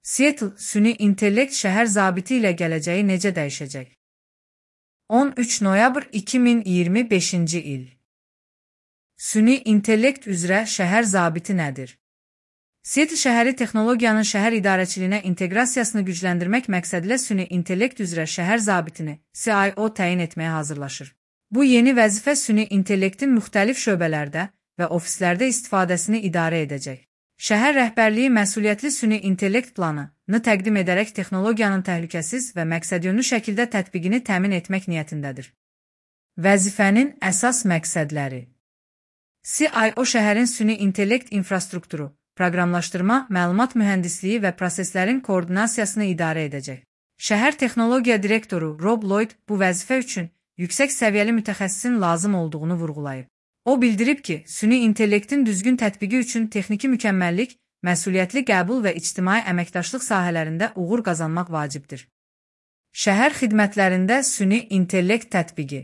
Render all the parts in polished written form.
Seattle, süni intellekt şəhər zabiti ilə gələcəyi necə dəyişəcək? 13 noyabr 2025-ci il. Süni intellekt üzrə şəhər zabiti nədir? Seattle şəhəri texnologiyanın şəhər idarəçiliyinə inteqrasiyasını gücləndirmək məqsədilə süni intellekt üzrə şəhər zabitini CIO təyin etməyə hazırlaşır. Bu yeni vəzifə süni intellektin müxtəlif şöbələrdə və ofislərdə istifadəsini idarə edəcək. Şəhər rəhbərliyi məsuliyyətli süni intellekt planını təqdim edərək texnologiyanın təhlükəsiz və məqsədyönlü şəkildə tətbiqini təmin etmək niyyətindədir. Vəzifənin əsas məqsədləri: CIO şəhərin süni intellekt infrastrukturu, proqramlaşdırma, məlumat mühəndisliyi və proseslərin koordinasiyasını idarə edəcək. Şəhər texnologiya direktoru Rob Lloyd bu vəzifə üçün yüksək səviyyəli mütəxəssisin lazım olduğunu vurğulayıb. O bildirib ki, süni intellektin düzgün tətbiqi üçün texniki mükəmməllik, məsuliyyətli qəbul və ictimai əməkdaşlıq sahələrində uğur qazanmaq vacibdir. Şəhər xidmətlərində süni intellekt tətbiqi.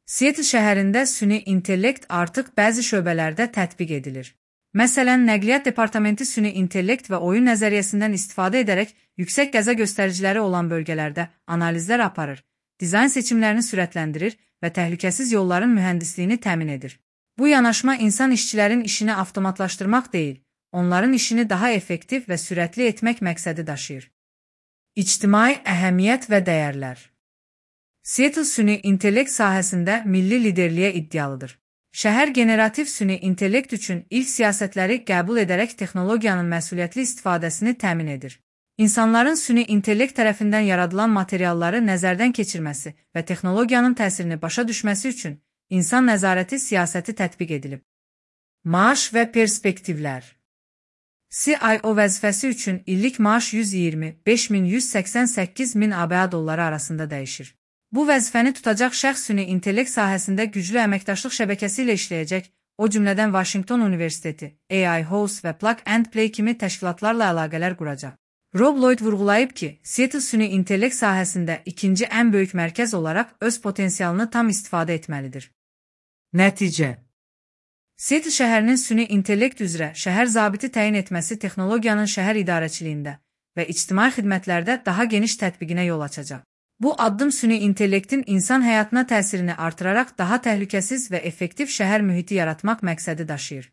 Seattle şəhərində süni intellekt artıq bəzi şöbələrdə tətbiq edilir. Məsələn, nəqliyyat departamenti süni intellekt və oyun nəzəriyyəsindən istifadə edərək yüksək qəza göstəriciləri olan bölgələrdə analizlər aparır, dizayn seçimlərini sürətləndirir və təhlükəsiz yolların mühəndisliyini təmin edir. Bu yanaşma insan işçilərin işini avtomatlaşdırmaq deyil, onların işini daha effektiv və sürətli etmək məqsədi daşıyır. İctimai əhəmiyyət və dəyərlər. Seattle süni intellekt sahəsində milli liderliyə iddialıdır. Şəhər generativ süni intellekt üçün ilk siyasətləri qəbul edərək texnologiyanın məsuliyyətli istifadəsini təmin edir. İnsanların süni intellekt tərəfindən yaradılan materialları nəzərdən keçirməsi və texnologiyanın təsirini başa düşməsi üçün insan nəzarəti siyasəti tətbiq edilib. Maaş və perspektivlər. CIO vəzifəsi üçün illik maaş 125.188.000 ABA dolları arasında dəyişir. Bu vəzifəni tutacaq şəxs süni intellekt sahəsində güclü əməkdaşlıq şəbəkəsi ilə işləyəcək, o cümlədən Washington Universiteti, AI House və Plug and Play kimi təşkilatlarla əlaqələr quracaq. Rob Lloyd vurğulayıb ki, Seattle süni intellekt sahəsində ikinci ən böyük mərkəz olaraq öz potensialını tam istifadə etməlidir. Nəticə: Seattle şəhərinin süni intellekt üzrə şəhər zabiti təyin etməsi texnologiyanın şəhər idarəçiliyində və ictimai xidmətlərdə daha geniş tətbiqinə yol açacaq. Bu addım süni intellektin insan həyatına təsirini artıraraq daha təhlükəsiz və effektiv şəhər mühiti yaratmaq məqsədi daşıyır.